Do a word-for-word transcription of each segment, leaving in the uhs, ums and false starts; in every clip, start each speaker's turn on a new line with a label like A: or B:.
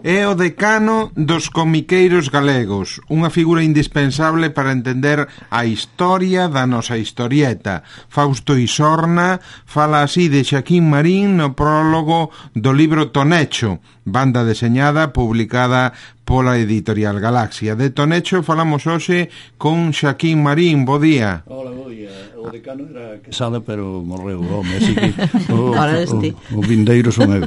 A: É o decano dos comiqueiros galegos, unha figura indispensable para entender a historia da nosa historieta. Fausto Isorna fala así de Xaquín Marín no prólogo do libro Tonecho, banda deseñada publicada pola editorial Galaxia. De Tonecho falamos hoxe con Xaquín Marín. Bo día.
B: Hola, bo día. O decano era Quesada, pero morreu o home, así que o, o, o vindeiro son eu.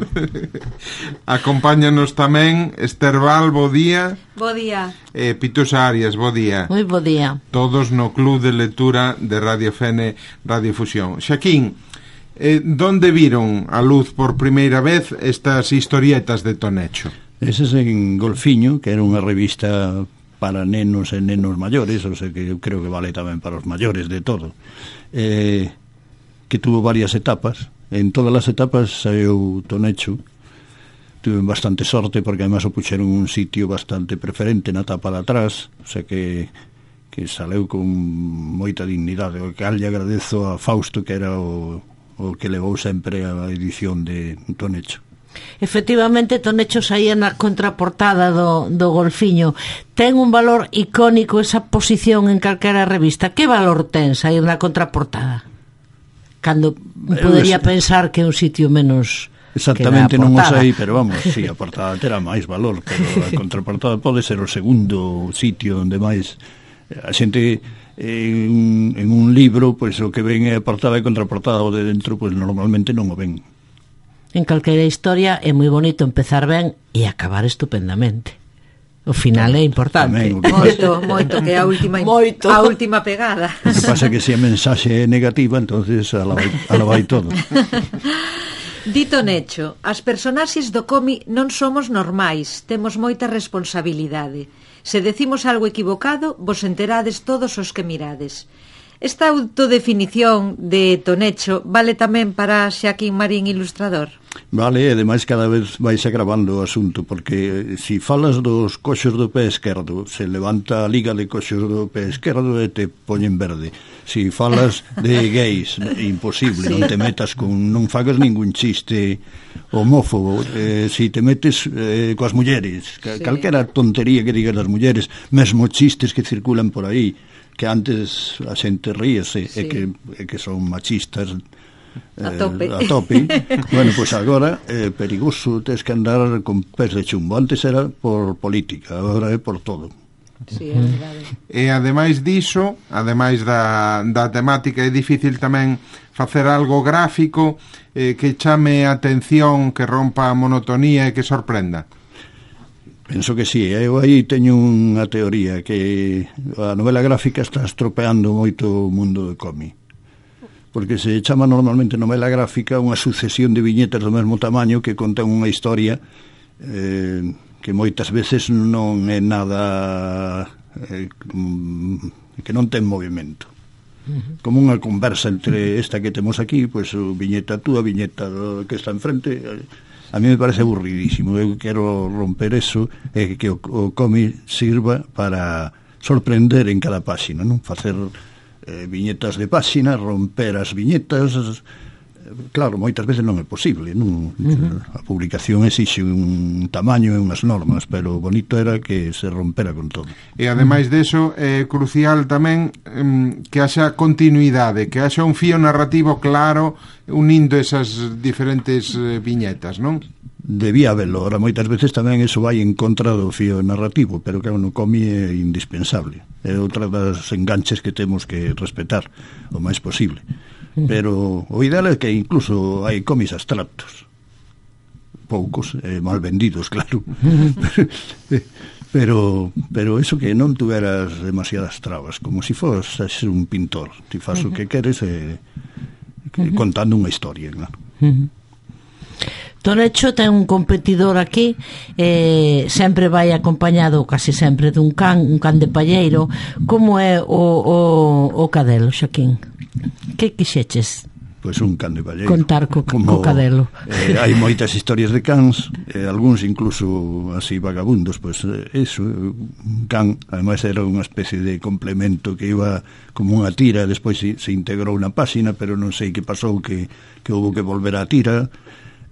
A: Acompáñanos tamén Esther Val, bo día.
C: Bo día.
A: E Pitusa Arias, bo día.
D: Moi bo día.
A: Todos no Club de Lectura de Radio Fene Radiofusión. Xaquín, eh, donde viron a luz por primeira vez estas historietas de Tonecho?
B: Eses en Golfiño, que era unha revista para nenos e nenos maiores, o sea que eu creo que vale tamén para os maiores de todo, eh, que tuvo varias etapas. En todas as etapas saiu Tonecho. Tuve bastante sorte porque además o puxeron un sitio bastante preferente na tapa de atrás, o sea que que saleu con moita dignidade, o que lle agradezo a Fausto, que era o, o que levou sempre a edición de Tonecho.
D: Efectivamente, Tonecho saía na contraportada do, do Golfiño. Ten un valor icónico esa posición en calquera revista. Que valor ten sair na contraportada? Cando podería es... pensar que é un sitio menos...
B: Exactamente, non o sei, pero vamos, si, sí, a portada terá máis valor, pero a contraportada pode ser o segundo sitio onde máis a xente en, en un libro, pois o que ven é a portada e contraportada, o de dentro pois normalmente non o ven.
D: En calquera historia é moi bonito empezar ben e acabar estupendamente. O final é importante.
B: Tamén,
C: moito, moito, que é a última moito. a última pegada.
B: O que pasa é que se a mensaxe é negativa, entonces ala vai, ala vai todo.
C: Dito Necho, as personaxes do cómic non somos normais, temos moita responsabilidade. Se decimos algo equivocado, vos enterades todos os que mirades. Esta autodefinición de Tonecho vale tamén para Xaquín Marín, ilustrador?
B: Vale, e ademais cada vez vais agravando o asunto, porque se si falas dos coxos do pé esquerdo, se levanta a liga de coxos do pé esquerdo e te poñen verde. Se si falas de gays, imposible, sí. Non te metas con, non fagas ningún chiste homófobo. Eh, se si te metes eh, coas mulleres, sí. Calquera tontería que digas das mulleres, mesmo chistes que circulan por aí, que antes a xente ríese, sí. e, que, e que son machistas
C: a tope,
B: eh, a tope. Bueno, pois pues agora é eh, perigoso, tens que andar con pés de chumbo. Antes era por política, agora é por todo.
C: Sí, é verdade.
A: E ademais diso, ademais da, da temática, é difícil tamén facer algo gráfico eh, que chame a atención, que rompa a monotonía e que sorprenda.
B: Penso que sí, eu aí teño unha teoría, que a novela gráfica está estropeando moito o mundo do cómic, porque se chama normalmente novela gráfica unha sucesión de viñetas do mesmo tamaño que contan unha historia eh, que moitas veces non é nada eh, que non ten movimento, como unha conversa entre esta que temos aquí, pois pues, viñeta túa, viñeta que está enfrente. A mí me parece aburridísimo. Eu quero romper eso e que o, o cómic sirva para sorprender en cada páxina, non? Facer eh, viñetas de páxina, romper as viñetas. Claro, moitas veces non é posible, non? Uh-huh. A publicación exixe un tamaño e unhas normas, pero o bonito era que se rompera con todo.
A: E ademais deso é crucial tamén um, que haxa continuidade, que haxa un fío narrativo claro unindo esas diferentes eh, viñetas, non?
B: Debía haberlo. Ahora moitas veces tamén eso vai en contra do fío narrativo, pero que no cómic é indispensable. É outra das enganches que temos que respetar o máis posible. Pero o ideal é que incluso hai cómics abstractos, poucos, eh, mal vendidos, claro, pero pero eso, que non tuveras demasiadas trabas, como se si fosas un pintor, ti faz o que queres eh, que, contando unha historia, claro.
D: Tonecho ten un competidor aquí, eh, sempre vai acompañado, casi sempre, dun can, un can de palleiro. Como é o, o, o cadelo, Xaquín? Que quixeches?
B: Pois un can de palleiro.
D: Contar co,
B: Como,
D: co cadelo.
B: Eh, hai moitas historias de cans, eh, algúns incluso así vagabundos, pois eh, eso, un can, ademais era unha especie de complemento que iba como unha tira, despois se, se integrou na páxina, pero non sei que pasou, que, que houve que volver á tira.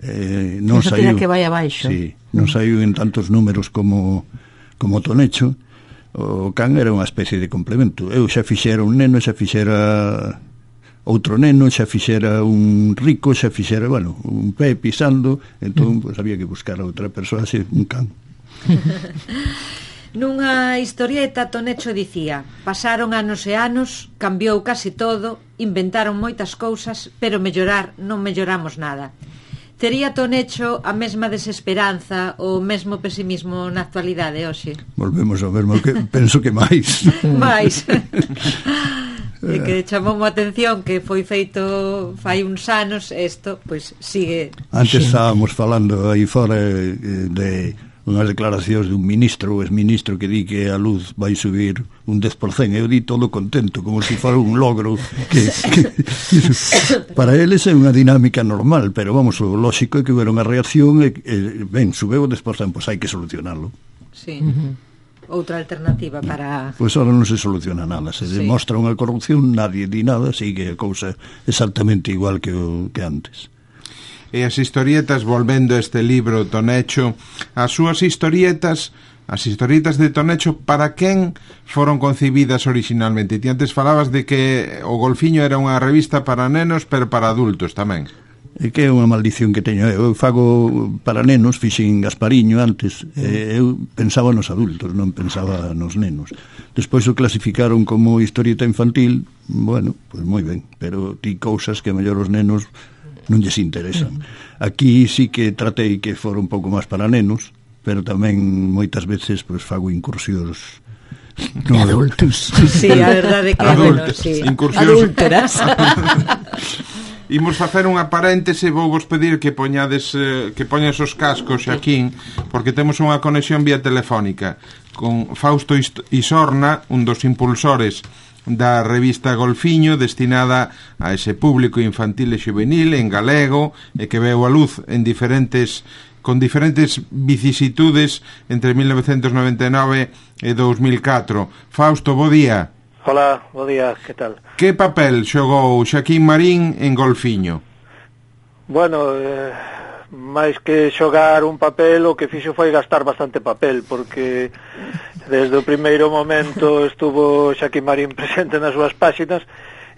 B: eh, non
D: Eso
B: saiu
D: que vai abaixo.
B: Sí, non saiu en tantos números como como Tonecho. O can era unha especie de complemento. Eu xa fixera un neno, xa fixera outro neno, xa fixera un rico, xa fixera, bueno, un pé pisando, entón pues, había que buscar a outra persoa, así, un can.
C: Nunha historieta Tonecho dicía: pasaron anos e anos, cambiou casi todo, inventaron moitas cousas, pero mellorar non melloramos nada. Tería Tonecho a mesma desesperanza ou o mesmo pesimismo na actualidade hoxe?
B: Volvemos ao mesmo, que penso que máis.
C: máis. E que chamou a atención que foi feito fai uns anos, isto, pois sigue.
B: Antes estábamos falando aí fora de unhas declaracións de un ministro ou exministro que di que a luz vai subir un dez por cento. Eu di todo contento, como se fora un logro que, que para eles é unha dinámica normal, pero vamos, o lógico é que hubiera unha reacción e, e ben, subeu o dez por cento, pois hai que solucionarlo.
C: Sí. Uh-huh. Outra alternativa para...
B: Pois ahora non se soluciona nada, se sí. demostra unha corrupción, nadie di nada, sigue a cousa exactamente igual que, o, que antes.
A: E as historietas, volvendo a este libro Tonecho, as súas historietas, as historietas de Tonecho, para quen foron concibidas originalmente? Ti antes falabas de que o Golfiño era unha revista para nenos, pero para adultos tamén.
B: É que é unha maldición que teño. Eu fago para nenos, fixen Gaspariño antes, e eu pensaba nos adultos, non pensaba nos nenos. Despois o clasificaron como historieta infantil, bueno, pois moi ben, pero ti cousas que a mellor os nenos non lles interesan. Aquí sí que tratei que fora un pouco máis para nenos, pero tamén moitas veces pois fago incursións
D: no adultos.
C: Sí, a verdade que
A: bueno,
C: sí.
A: Incursións
D: adúlteras.
A: Imos facer unha paréntese, vou vos pedir que poñades eh, que poñas os cascos, Xaquín, porque temos unha conexión vía telefónica con Fausto Isorna, un dos impulsores da revista Golfiño, destinada a ese público infantil e juvenil en galego, e que veu a luz en diferentes con diferentes vicisitudes entre mil novecentos noventa e nove e dous mil catro. Fausto, bo día.
E: Hola, bo día, que tal?
A: Que papel xogou Xaquín Marín en Golfiño?
E: Bueno, eh, máis que xogar un papel, o que fixo foi gastar bastante papel, porque desde o primeiro momento estuvo Xaquín Marín presente nas súas páxinas,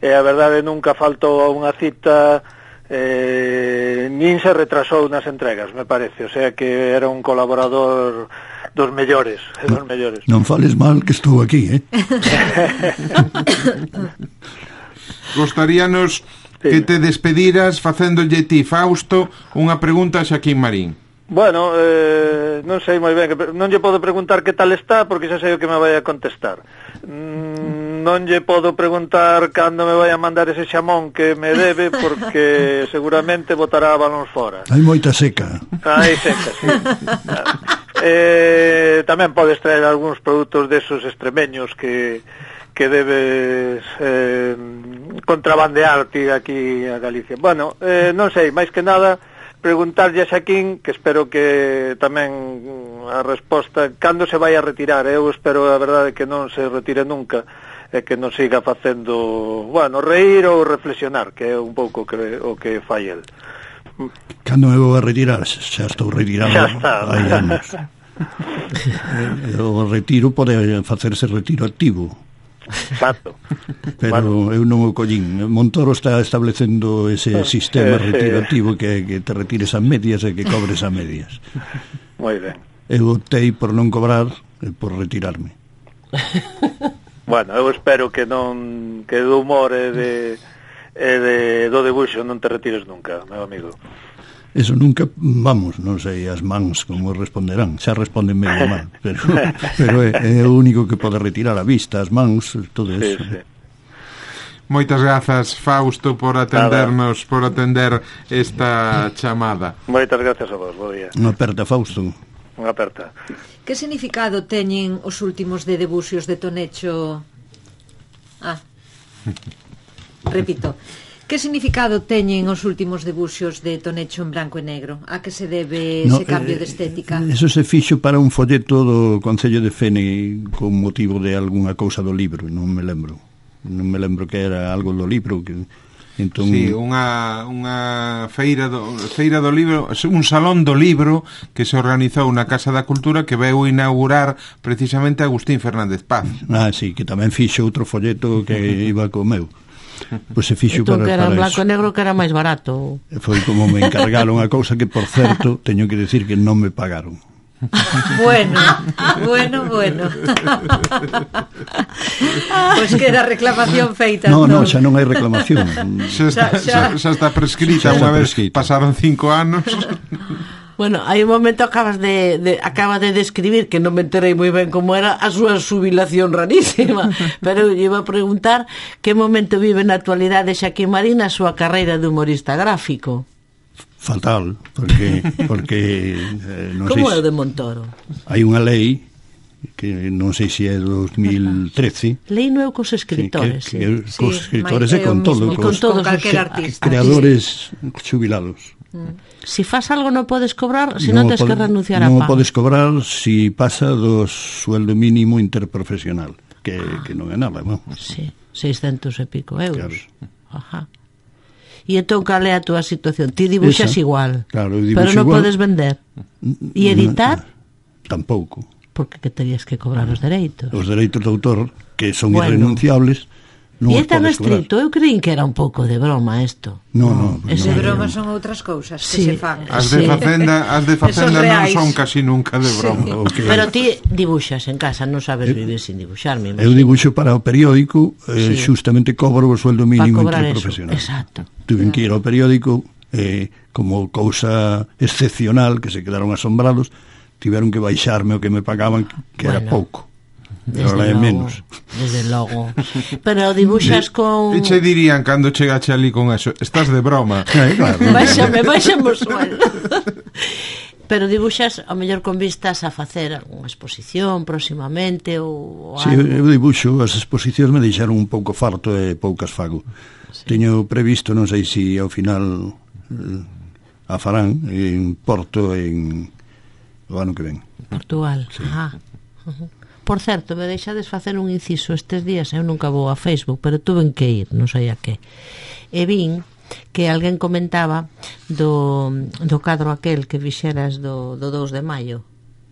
E: e a verdade nunca faltou a unha cita, eh, nin se retrasou nas entregas, me parece, o sea que era un colaborador dos mellores, dos mellores.
B: Non fales mal que estou aquí, eh?
A: Gostaríanos sí. que te despediras facéndolle ti, Fausto, unha pregunta a Xaquín Marín.
E: Bueno, eh, non sei moi ben, non lle podo preguntar que tal está, porque xa sei o que me vai a contestar. Mm, non lle podo preguntar cando me vai a mandar ese xamón que me debe, porque seguramente botará balóns fora.
B: Hai moita seca.
E: Hai seca, sí. eh, tamén podes traer algúns produtos desos extremeños que que debes eh, contrabandear ti aquí a Galicia. Bueno, eh, non sei, máis que nada preguntarlle a Xaquín, que espero que tamén a resposta, cando se vai a retirar. Eu espero, a verdade, que non se retire nunca, e que non siga facendo, bueno, reír ou reflexionar, que é un pouco que, o que fai el.
B: Cando me vou a retirar? Xa estou retirado hai anos. O retiro pode facerse retiro activo.
E: Exacto.
B: Pero bueno, eu non o collín. Montoro está establecendo ese sistema
E: eh,
B: retirativo que, que te retires a medias e que cobres a medias.
E: Moi ben.
B: Eu optei por non cobrar e por retirarme.
E: Bueno, eu espero que non que do humor e de, e de do debuxo non te retires nunca, meu amigo.
B: Eso nunca, vamos, non sei as mans como responderán, xa responden medio mal, pero, pero é, é o único que pode retirar a vista, as mans, todo eso. Sí, sí.
A: Moitas grazas, Fausto, por atendernos, Nada. por atender esta chamada.
E: Moitas grazas a vos, bo día.
B: Unha aperta, Fausto.
E: Unha aperta.
C: Que significado teñen os últimos de debuxios de Tonecho? Ah, repito. Que significado teñen os últimos debuxos de Tonecho en branco e negro? A que se debe
B: no,
C: ese cambio
B: eh,
C: de estética?
B: Eso se fixo para un folleto do Concello de Fene con motivo de algunha cousa do libro, non me lembro. Non me lembro que era algo do libro que Entón,
A: sí, unha, unha feira do, feira do libro, un salón do libro que se organizou na Casa da Cultura que veu inaugurar precisamente Agustín Fernández Paz.
B: Ah, sí, que tamén fixo outro folleto que iba co meu. Pois se fixo
D: entón,
B: para,
D: que era
B: para
D: en blanco
B: eso.
D: e negro, que era máis barato.
B: Foi como me encargaron a cousa que, por certo, teño que decir que non me pagaron.
C: Bueno, bueno, bueno. Pois pues queda reclamación feita.
B: No,
C: entón.
B: no, xa non hai reclamación.
A: Xa está,
C: Xa-
A: xa, xa está prescrita
B: Xa está
A: unha vez
B: prescrita.
A: pasaron cinco anos.
D: Bueno, hai un momento acabas de, de acaba de describir, que non me enterei moi ben como era a súa xubilación rarísima, pero eu iba a preguntar que momento vive na actualidade Xaquín Marín na súa carreira de humorista gráfico.
B: Fatal, porque porque eh, non
D: Como é o
B: sei
D: de Montoro?
B: hai unha lei que non sei se é dos mil trece.
D: Lei non é cos
B: Sí,
D: escritores,
B: que,
D: sí.
B: que
C: Sí,
B: cos escritores
C: mai-
B: e
C: é o
B: con todo,
C: mismo,
D: con
B: cos
D: todos
C: con calquer
D: os
C: artista.
B: creadores xubilados.
D: Si fas algo non podes cobrar, se non tens que
B: pode-
D: renunciar a
B: non
D: pago.
B: podes cobrar si pasa do sueldo mínimo interprofesional, que, que non é nada, non?
D: Sí, seiscentos e pico euros.
B: Claro.
D: Ajá. E entón, cal é a túa situación? Ti dibuxas
B: Esa.
D: igual,
B: Claro, eu dibuxo
D: pero non
B: igual.
D: podes vender. E editar?
B: Tampouco.
D: Porque que terías que cobrar os dereitos.
B: Os dereitos de autor, que son
D: Bueno.
B: irrenunciables, non
D: E é
B: os
D: tan
B: podes cobrar.
D: estricto, eu creín que era un pouco de broma isto.
B: No, no,
D: É
C: De
B: no,
C: broma
B: no.
C: son outras cousas que
D: Sí.
C: se fan.
A: As de
D: Sí.
A: Facenda, as de Facenda non
C: reais.
A: son casi nunca de broma.
B: O que-
D: Pero ti dibuxas en casa, non sabes vivir sin dibuxar, me
B: Eu
D: imagino.
B: dibuixo para o periódico, eh,
D: Sí.
B: xustamente cobro o sueldo
D: Para
B: mínimo
D: cobrar eso,
B: interprofesional.
D: exacto.
B: Tuve que ir ao periódico, eh, como cousa excepcional, que se quedaron asombrados, tiveron que baixarme o que me pagaban, que era
D: Bueno.
B: pouco.
D: Desde
B: Ahora é
D: logo,
B: menos.
D: Desde logo. Pero dibuxas con...
A: E che dirían cando chegache ali con eso, estás de broma.
B: Eh, claro.
D: Báixame, báixame o sueldo. Pero dibuxas, ao mellor con vistas a facer algunha exposición próximamente ou
B: Si,
D: algo.
B: eu dibuxo, as exposicións me deixaron un pouco farto e poucas fago. Sí. Teño previsto, non sei se ao final eh, a farán en Porto en o ano que ven.
D: Portugal. Sí. Ah. Uh-huh. Por certo, me deixades facer un inciso estes días, eu nunca vou a Facebook, pero tuven que ir, non sei a que. E vin que alguén comentaba do, do cadro aquel que fixeras do, do dous de maio,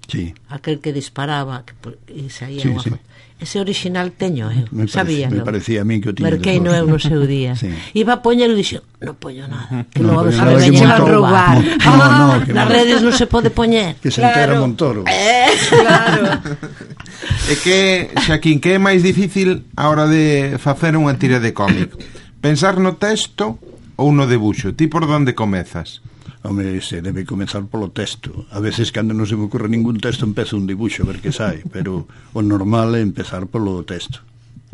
B: Sí.
D: aquel que disparaba que, e saía
B: Sí,
D: unha
B: sí.
D: foto. Ese original teño eu,
B: Me parece-
D: sabía,
B: me parecía a min que o tiña
D: Merquei
B: de
D: no eu no seu día.
B: Sí.
D: Iba a poñer e dixo, non poño nada, que
B: Non
D: logo
B: poño
D: a
B: nada,
D: ver
B: que
D: veñen a
B: Montoro-
D: roubar.
B: Mon- no, no, que
D: Nas
B: Mon-
D: redes non se pode poñer.
B: Que se entera
C: Claro.
B: Montoro.
D: Eh,
C: Claro.
A: E que, Xaquín, que é máis difícil a hora de facer unha tira de cómic? Pensar no texto ou no debuxo? Ti por onde comezas?
B: Home, se debe comenzar polo texto. A veces, cando non se me ocurre ningún texto, empezo un dibuixo, a ver que sai. Pero o normal é empezar polo texto.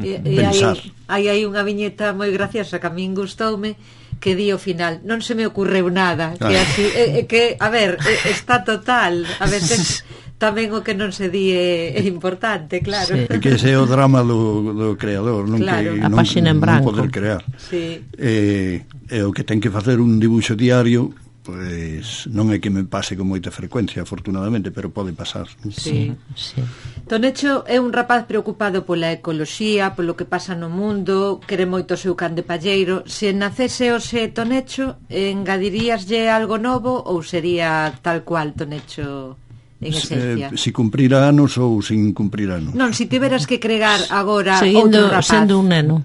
C: E, e hai,
B: Pensar.
C: hai aí unha viñeta moi graciosa que a min gustoume, que di ao final, non se me ocurreu nada, que
B: Ah.
C: así, e, e que, a ver, e, está total, a veces tamén o que non se di é, é importante, claro.
D: Sí.
B: É que ese é o drama do, do creador, non
C: Claro.
B: que
D: A
B: non,
D: páxina en
B: non
D: branco.
B: poder crear.
C: Sí.
B: E, e o que ten que facer un dibuixo diario, pois non é que me pase con moita frecuencia, afortunadamente, pero pode pasar.
C: Sí.
D: sí.
C: Tonecho é un rapaz preocupado pola ecoloxía, polo que pasa no mundo, quere moito o seu can de palleiro. Se nacese hoxe Tonecho, engadiríaslle algo novo ou sería tal cual Tonecho en esencia?
B: Eh, si cumprira anos ou sin cumprir anos.
C: Non, se tiveras que cregar agora
D: Seguindo
C: outro rapaz.
D: sendo un neno.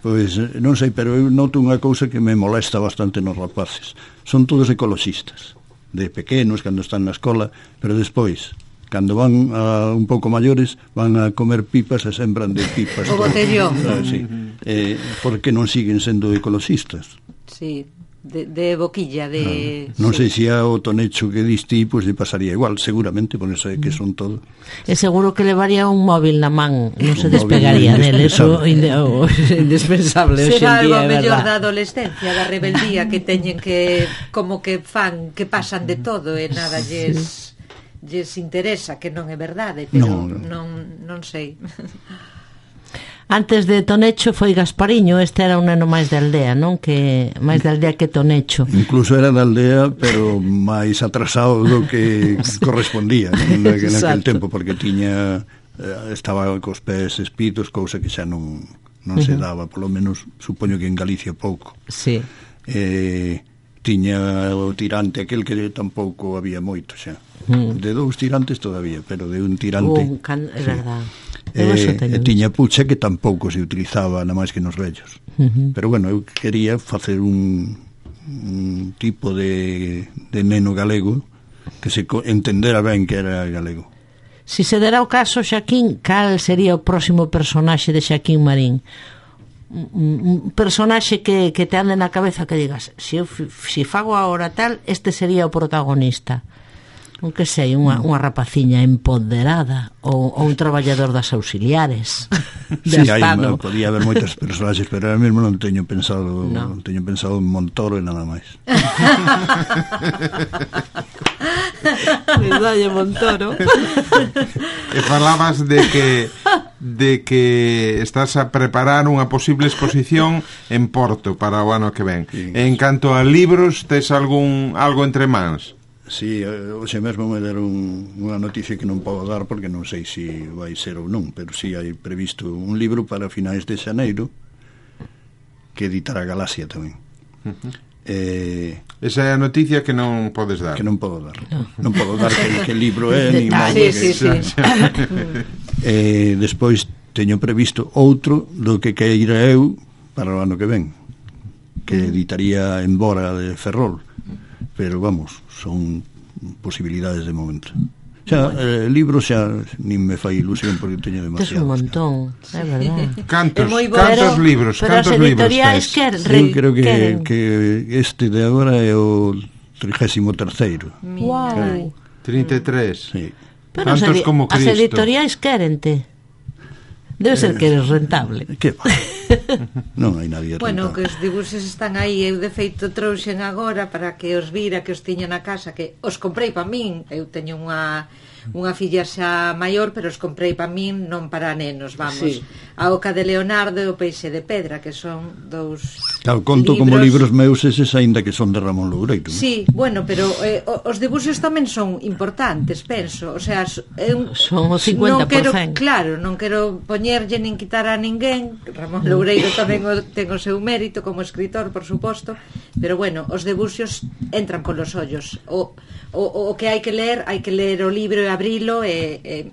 B: Pois eh, non sei, pero eu noto unha cousa que me molesta bastante nos rapaces. Son todos ecoloxistas, de pequenos, cando están na escola, pero despois, cando van a un pouco maiores, van a comer pipas e sembran de pipas.
C: O botellón.
B: Ah, sí. eh, por que non siguen sendo ecoloxistas?
C: Sí, de, de boquilla, de...
B: Non
C: sí.
B: sei se a o Tonecho que diste, pois lle pasaría igual, seguramente, por eso é que son todo.
D: E seguro que levaría un móvil na man, non se
B: Un
D: despegaría
B: móvil
D: dele, eso
B: indispensable.
D: inde- o- indispensable hoxe en
C: Será algo
D: día, é
C: mellor da
D: verdad.
C: adolescencia, da rebeldía que teñen que como que fan, que pasan de todo e nada lles lles interesa, que non é verdade, pero
B: Non, non.
C: non non sei.
D: Antes de Tonecho foi Gaspariño, este era un neno máis de aldea, non? Que máis de aldea que Tonecho.
B: Incluso era da aldea, pero máis atrasado do que correspondía, non? Naquel
D: Exacto.
B: tempo, porque tiña eh, estaba cos pés espitos, cousa que xa non non se daba, polo menos supoño que en Galicia pouco.
D: Sí.
B: Eh, tiña o tirante aquel que tampouco había moito xa. Mm. De dous tirantes todavía, pero de un tirante.
D: Un can... É
B: sí.
D: verdad.
B: Eh, e tiña pucha que tampouco se utilizaba nada máis que nos vellos.
D: Uh-huh.
B: Pero bueno, eu quería facer un, un tipo de, de neno galego que se entendera ben que era galego.
D: Si se dera o caso, Xaquín, cal sería o próximo personaxe de Xaquín Marín? Un, un personaxe que, que te ande na cabeza que digas, se eu si fago agora tal, este sería o protagonista. Un que sei, unha, unha rapaciña empoderada ou, ou un traballador das auxiliares de
B: sí, hai, podía haber moitos personaxes, pero ahora mesmo non teño pensado no. non teño pensado en Montoro e nada máis.
D: Verdade, Montoro.
A: E falabas de que de que estás a preparar unha posible exposición en Porto para o ano que ven. Sí. En canto a libros, tes algún algo entre mans?
B: Sí, hoxe mesmo me deron unha noticia que non podo dar porque non sei se si vai ser ou non, pero si sí hai previsto un libro para finais de xaneiro que editará Galaxia tamén. Uh-huh. eh,
A: Esa é a noticia que non podes dar.
B: Que non podo dar. No. Non podo dar que, que libro é ni
C: ah, sí, sí, sí.
B: eh, Despois teño previsto outro do que queira eu para o ano que ven, que editaría en Bora de Ferrol. Pero vamos, son posibilidades de momento. Xa, eh, libros xa nin me fai ilusión porque teño demasiados.
D: Tes un montón, é verdad.
A: Cantos, cantos libros,
D: pero
A: cantos libros tes?
B: Eu creo que, que este de agora é o trigésimo terceiro.
D: Wow.
A: trinta e tres.
B: Sí.
D: Pero
A: tantos
D: as,
A: como Cristo.
D: As editoriais quérente. Debe ser que eres rentable.
B: Que va? Non hai nadie rentable.
C: Bueno, que os dibuxos están aí. Eu de feito trouxen agora para que os vira, que os tiña na casa, que os comprei para min. Eu teño unha unha filla xa maior, pero os comprei para min, non para nenos, vamos. Sí. A Oca de Leonardo e o Peixe de Pedra, que son dous
B: claro, conto libros... como libros meus eses, aínda que son de Ramón Loureiro.
C: Sí, bueno, pero eh, os dibuxos tamén son importantes, penso. O sea, eu
D: son o cincuenta por cento.
C: Non quero, claro, non quero poñerlle nin quitar a ninguén. Ramón Loureiro tamén o, ten o seu mérito como escritor, por suposto, pero bueno, os dibuxos entran polos ollos. O, o, o que hai que ler, hai que ler o libro e abrilo e, e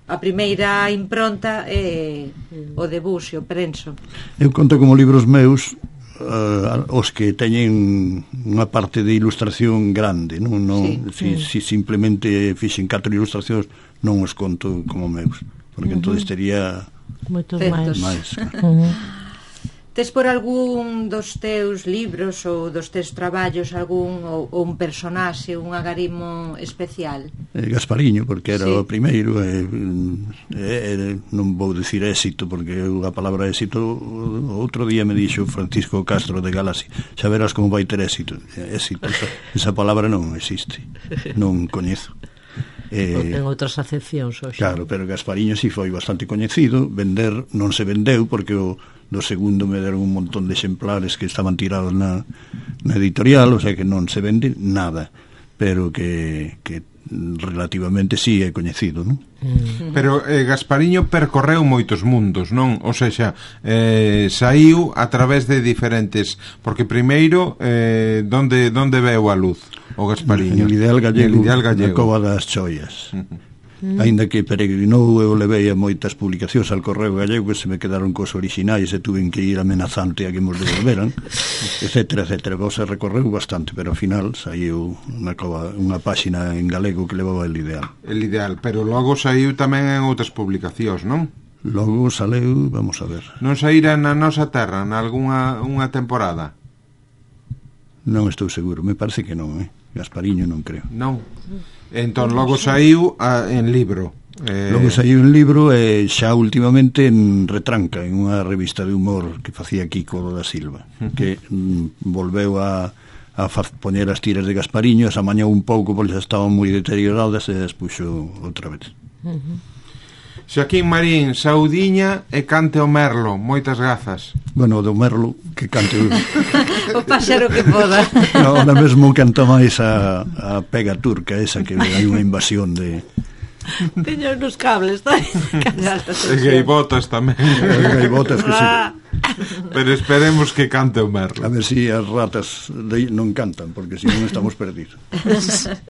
C: a primeira impronta é o debuxo, penso.
B: Eu conto como libros meus uh, os que teñen unha parte de ilustración grande, non, non sí. si, si simplemente fixen catro ilustracións non os conto como meus, porque uh-huh. entonces tería
D: moitos máis.
B: máis claro.
D: Uh-huh.
C: Tes por algún dos teus libros ou dos teus traballos algún ou, ou un personaxe, un agarimo especial?
B: Eh, Gaspariño, porque era sí. o primeiro e, e, non vou dicir éxito porque a palabra éxito outro día me dixo Francisco Castro de Galaxia, xa verás como vai ter éxito. Éxito, esa, esa palabra non existe, non coñezo.
D: Eh, en outras acepcións hoxe.
B: Claro, pero Gaspariño si sí foi bastante coñecido. Vender non se vendeu porque o do segundo me deron un montón de exemplares que estaban tirados na, na editorial, o sea que non se vende nada, pero que, que relativamente sí é coñecido, non?
A: Mm. Pero eh, Gaspariño percorreu moitos mundos, non? O seja, eh, saiu a través de diferentes, porque primeiro eh, donde, donde veu a luz o Gaspariño?
B: En Ideal Gallego,
A: en Ideal Gallego.
B: na Cova das Choias.
A: Uh-huh.
B: Mm. Ainda que peregrinou, eu levei a moitas publicacións al Correo Gallego que se me quedaron cos orixinais e tuven que ir amenazante a que mos devolveran, etcétera, etcétera. Vos se recorreu bastante, pero ao final saiu unha, cova, unha páxina en galego que levaba el Ideal.
A: El Ideal, pero logo saiu tamén en outras publicacións, non?
B: Logo saleu, vamos a ver.
A: Non saíra na nosa terra na algunha unha temporada?
B: Non estou seguro, me parece que non, eh? Gaspariño non creo.
A: Non. Entón logo saiu a, en libro.
B: Eh... Logo saiu en libro e xa últimamente en Retranca, en unha revista de humor que facía Kiko da Silva, uh-huh. que mm, volveu a, a poñer as tiras de Gaspariño, se amañou un pouco porque xa estaban moi deterioradas e as puxo outra vez.
D: Uh-huh.
A: Xaquín Marín, saudiña e cante o merlo, moitas grazas.
B: Bueno, do merlo que cante o,
C: o páxaro que poda.
B: No, ahora mesmo canta máis a, a pega turca esa, que hai unha invasión de
D: Teño nos cables, está
A: E gaivotas tamén.
B: As gaivotas que sí.
A: Pero esperemos que cante o merlo.
B: A ver si as ratas de, non cantan, porque si non estamos perdidos.